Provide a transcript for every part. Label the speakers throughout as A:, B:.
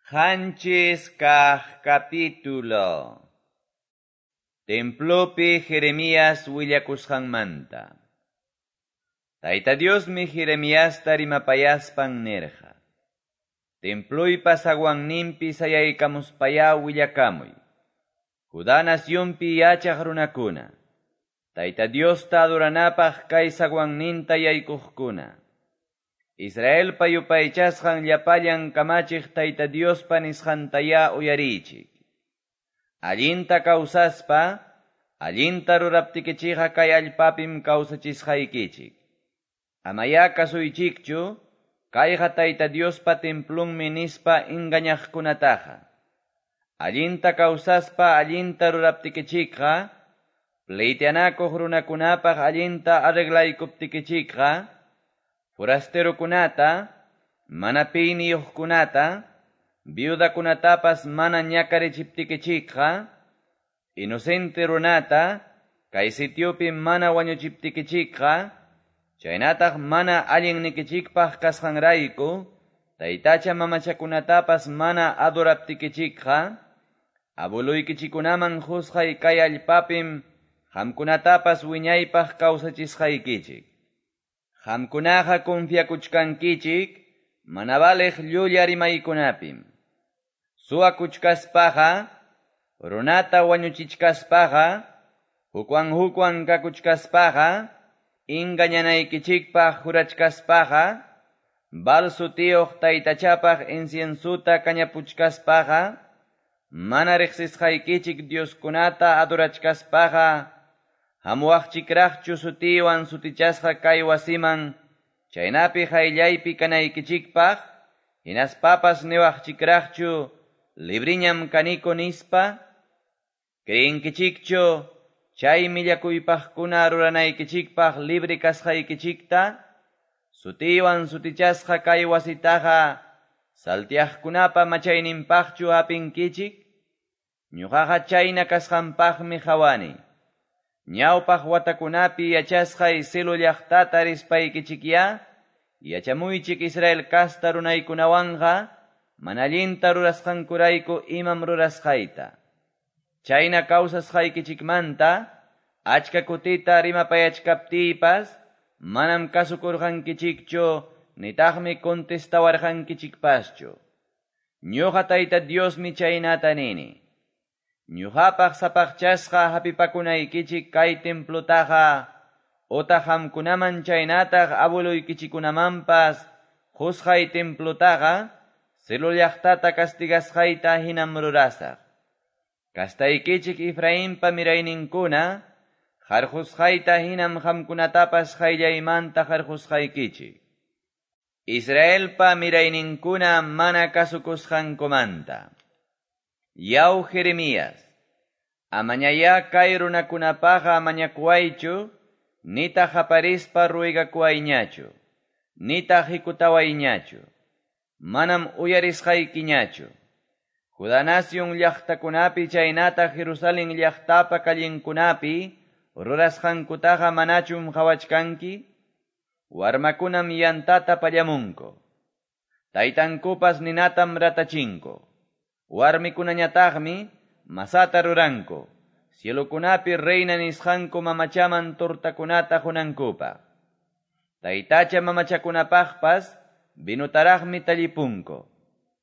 A: 7 kaq capítulo. Templopi Jeremías willakusqanmanta. Tayta Diosmi Jeremiasta rimapayaspan nirqa: Temploypa zaguanninpi sayaykamuspayá willakamuy. Judá nacionpi yachaq runakuna, Tayta Diosta adoranapaq kay zaguanninta yaykuqkuna. Israelpa yupaychasqan llapallan kamachiq Tayta Diospa nisqantayá uyariychik. Allinta kawsaspa, allinta ruraptikichikqa kay allpapim kawsachisqaykichik. Amayá kasuychikchu, kayqa Tayta Diospa templunmi nispa engañaqkunataqa. Allinta kawsaspa allinta ruraptikichikqa, pleiteanakuq runakunapaq allinta arreglaykuptikichikqa, forasterokunata, mana piyniyuqkunata, viudakunatapas mana ñakarichiptikichikqa, inocente runata, kay sitiopi mana wañuchiptikichikqa, chaynataq mana allinnikichikpaq kasqanrayku, taytacha mamachakunatapas mana adoraptikichikqa, abueluykichikkunaman qusqay kay allpapim qamkunatapas wiñaypaq kawsachisqaykichik. Qamkunaqa confiakuchkankichik mana valeq llulla rimaykunapim. Suwakuchkaspaqa, runata wañuchichkaspaqa, hukwan hukwan kakuchkaspaqa, engañanaykichikpaq jurachkaspaqa, Baal sutiyuq taytachapaq inciensuta kañapuchkaspaqa, mana riqsisqaykichik dioskunata adorachkaspaqa, hamuwaqchikraqchu sutiywan sutichasqa kay wasiman, chaynapi qayllaypi kanaykichikpaq, hinaspapas niwaqchikraqchu libriñam kaniko nispa, creenkichikchu chay millakuypaqkuna ruranaykichikpaq libre kasqaykichikta, sutiywan sutichasqa kay wasitaqa saltiaqkunapa machayninpaqchu hapinkichik, ñuqaqa chayna kasqanpaqmi qhawani. Ñawpaq watakunapi yachasqay Silo llaqtata rispaykichikyá, yachamuychik Israel kasta runaykunawanqa, mana allinta rurasqankurayku imam rurasqayta. Chayna kawsasqaykichikmanta, achka kutita rimapayachkaptiypas, manam kasukurqankichikchu, nitaqmi contestawarqankichikpaschu. Ñuqa Tayta Diosmi chaynata nini. Ñuqapaq sapaqchasqa hapipakunaykichik kay templotaqa, otaq qamkunaman chaynataq abueluykichikkunamanpas qusqay templotaqa, Silo llaqtata castigasqayta hinam rurasaq. Kastaykichik Efrainpa mirayninkuna, qarqusqayta hinam qamkunatapas qayllaymanta qarqusqaykichik. Israelpa mirayninkuna mana kasukusqankumanta. Yaw Jeremías, amañayá kay runakunapaqa mañakuwaychu, nitaq qaparispa ruegakuwayñachu, nitaq hikutawayñachu, manam uyarisqaykiñachu. Judá nación llaqtakunapi chaynataq Jerusalén llaqtapa callenkunapi rurasqankutaqa manachum qhawachkanki? Warmakunam yantata pallamunku. Taytankupas ninatam ratachinku. Warmikunañataqmi masata ruranku. Cielokunapi reina nisqanku mamachaman tortakunata qunankupaq. Taytacha mamachakunapaqpas vinotaraqmi tallipunku.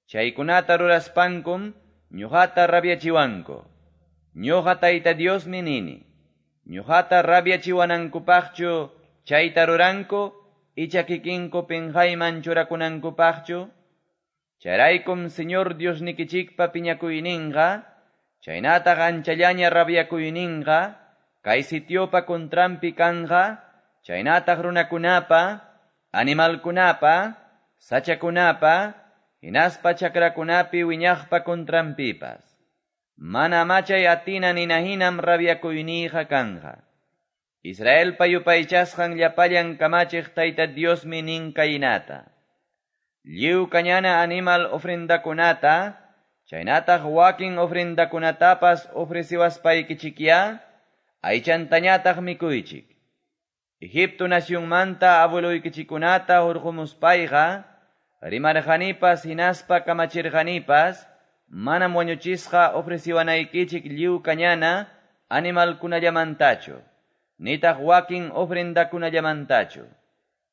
A: Chaykunata ruraspankum ñuqata rabiachiwanku. Ñuqa Tayta Diosmi nini. Ñuqata rabiachiwanankupaqchu chayta ruranku, icha kikinku pinqayman churakunankupaqchu. Chayraykum Señor Diosnikichikpa piñakuyninqa, chaynataq anchallaña rabiakuyninqa, kay sitiopa contranpi kanqa, chaynataq runakunapa, animalkunapa, sachakunapa, hinaspa chakrakunapi wiñaqpa contranpipas. Mana machay atina ninahinam rabiakuyniyqa kanqa. Israelpa yupaychasqan llapallan kamachiq Tayta Diosmi nin kaynata. Lliw kañana animal ofrendakunata, chaynataq wakin ofrendakunatapas ofreciwaspaykichikyá, aychantañataq mikuychik. Egipto nacionmanta abueluykichikkunata hurqumuspayqa, rimarqanipas hinaspa kamachirqanipas manam wañuchisqa ofreciwanaykichik lliw kañana animalkunallamantachu, nitaq wakin ofrendakunallamantachu.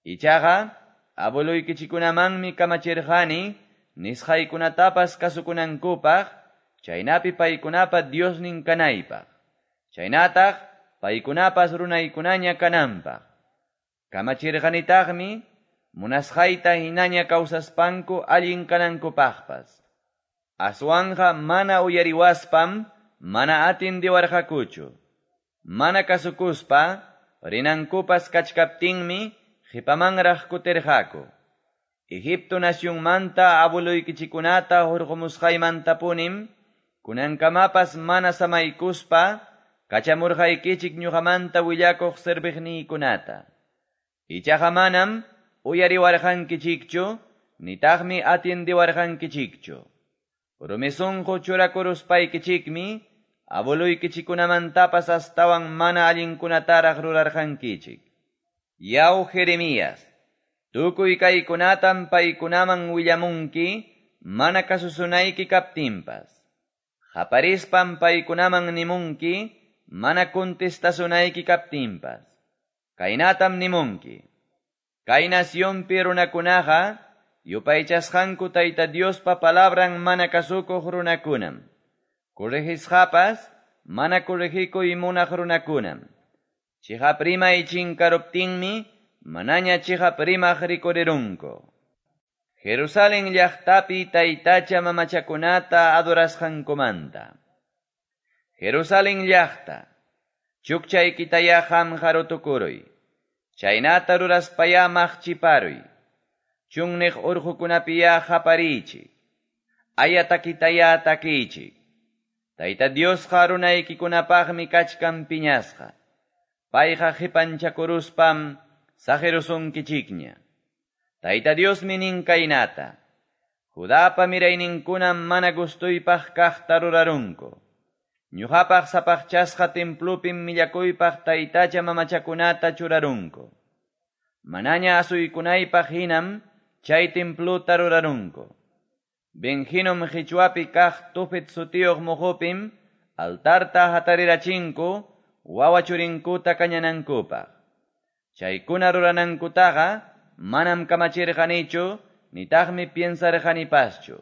A: Ichaqa abueloykichikunamanmi kamachirqani nisqaykunatapas kasukunankupaq, chaynapi paykunapa Diosnin kanaypaq, chaynataq paykunapas runaykunaña kananpaq. Kamachirqanitaqmi munasqayta hinaña kawsaspanku allin kanankupaqpas. Aswanja mana uyariwaspam mana atindiwarqakuchu. Mana kasukuspa rinankupas kachkaptinmi qipamanraq kutirqaku. Egipto nacionmanta abueloykichikunata hurqumusqaymantapunim kunankamapas mana samaykuspa kachamurqaykichik ñuqamanta willakuq serviqniykunata. Ichaqa manam uyariwarqankichikchu, nitaqmi atiendiwarqankichikchu. Rumi sunqu churakuruspaykichikmi abueloykichikunamantapas astawan mana allinkunataraq rurarqankichik. Yaw Jeremías, tukuy kaykunatam paykunaman willamunki mana kasusunayki kaptinpas. Qaparispam paykunaman nimunki mana contestasunayki kaptinpas. Kaynatam nimunki. Kay nacionpi runakunaqa yupaychasqanku Tayta Diospa palabran mana kasukuq runakunam. Corregisqapas mana corregikuy munaq runakunam. Chiqap rimay chinkaruptinmi manaña chiqap rimaq rikurirunku. Jerusalén llaqtapi taytacha mamachakunata adorasqankumanta. Jerusalén llaqta, chukchaykitaya qamqa rutukuruy, chaynata ruraspaya maqchiparuy, chunniq urqukunapiya qapariychik, aya takitaya takiychik. Tayta Diosqa runaykikunapaqmi kachkan piñasqa, payqa qipanchakuruspam saqirusunkichikña. Tayta Diosmi nin kaynata, Judapa mirayninkunam mana gustuypaq kaqta rurarunku. Ñuqapaq sapaqchasqa templupim millakuypaq taytacha mamachakunata churarunku. Manaña asuykunaypaq hinam chay templuta rurarunku. Ben-Hinom qichwapi kaq Tofet sutiyuq muqupim altarta hatarirachinku wawa churinkuta kañanankupaq. Chaykuna ruranankutaqa manam kamachirqanichu nitaqmi piensarqanipaschu.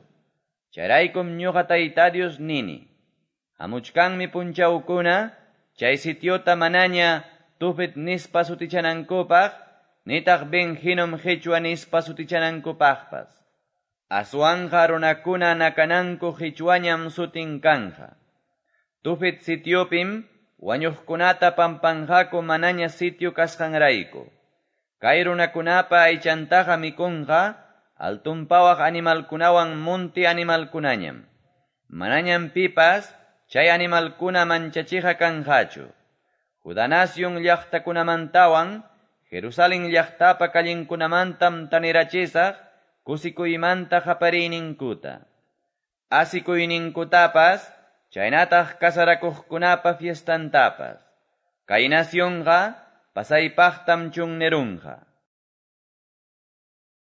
A: Chayraykum ñuqa Tayta Dios nini. Hamuchkanmi punchawkuna chay sitiota manaña Tofet nispa sutichanankupaq nitaq Ben-Hinom qichwa nispa sutichanankupaqpas. Aswanja runakuna nakananku qichwañam sutin kanja. Tofet sitiopim wañuqkunata pampanqaku manaña sitio kasqanrayku. Kay runakunapa aychantaqa mikunqa altunpawaq animalkunawan munti animalkunañam. Manañam pipas chay animalkuna manchachiqa kanqachu. Judá nación llaqtakunamantawan Jerusalén llaqtapa callinkunamantam tanirachisaq kusikuymanta qapariyninkuta. Asikuyninkutapas chaynataq kasarakuqkunapa fiestantapas. Kay nacionqa pasaypaqtam chunnerunqa.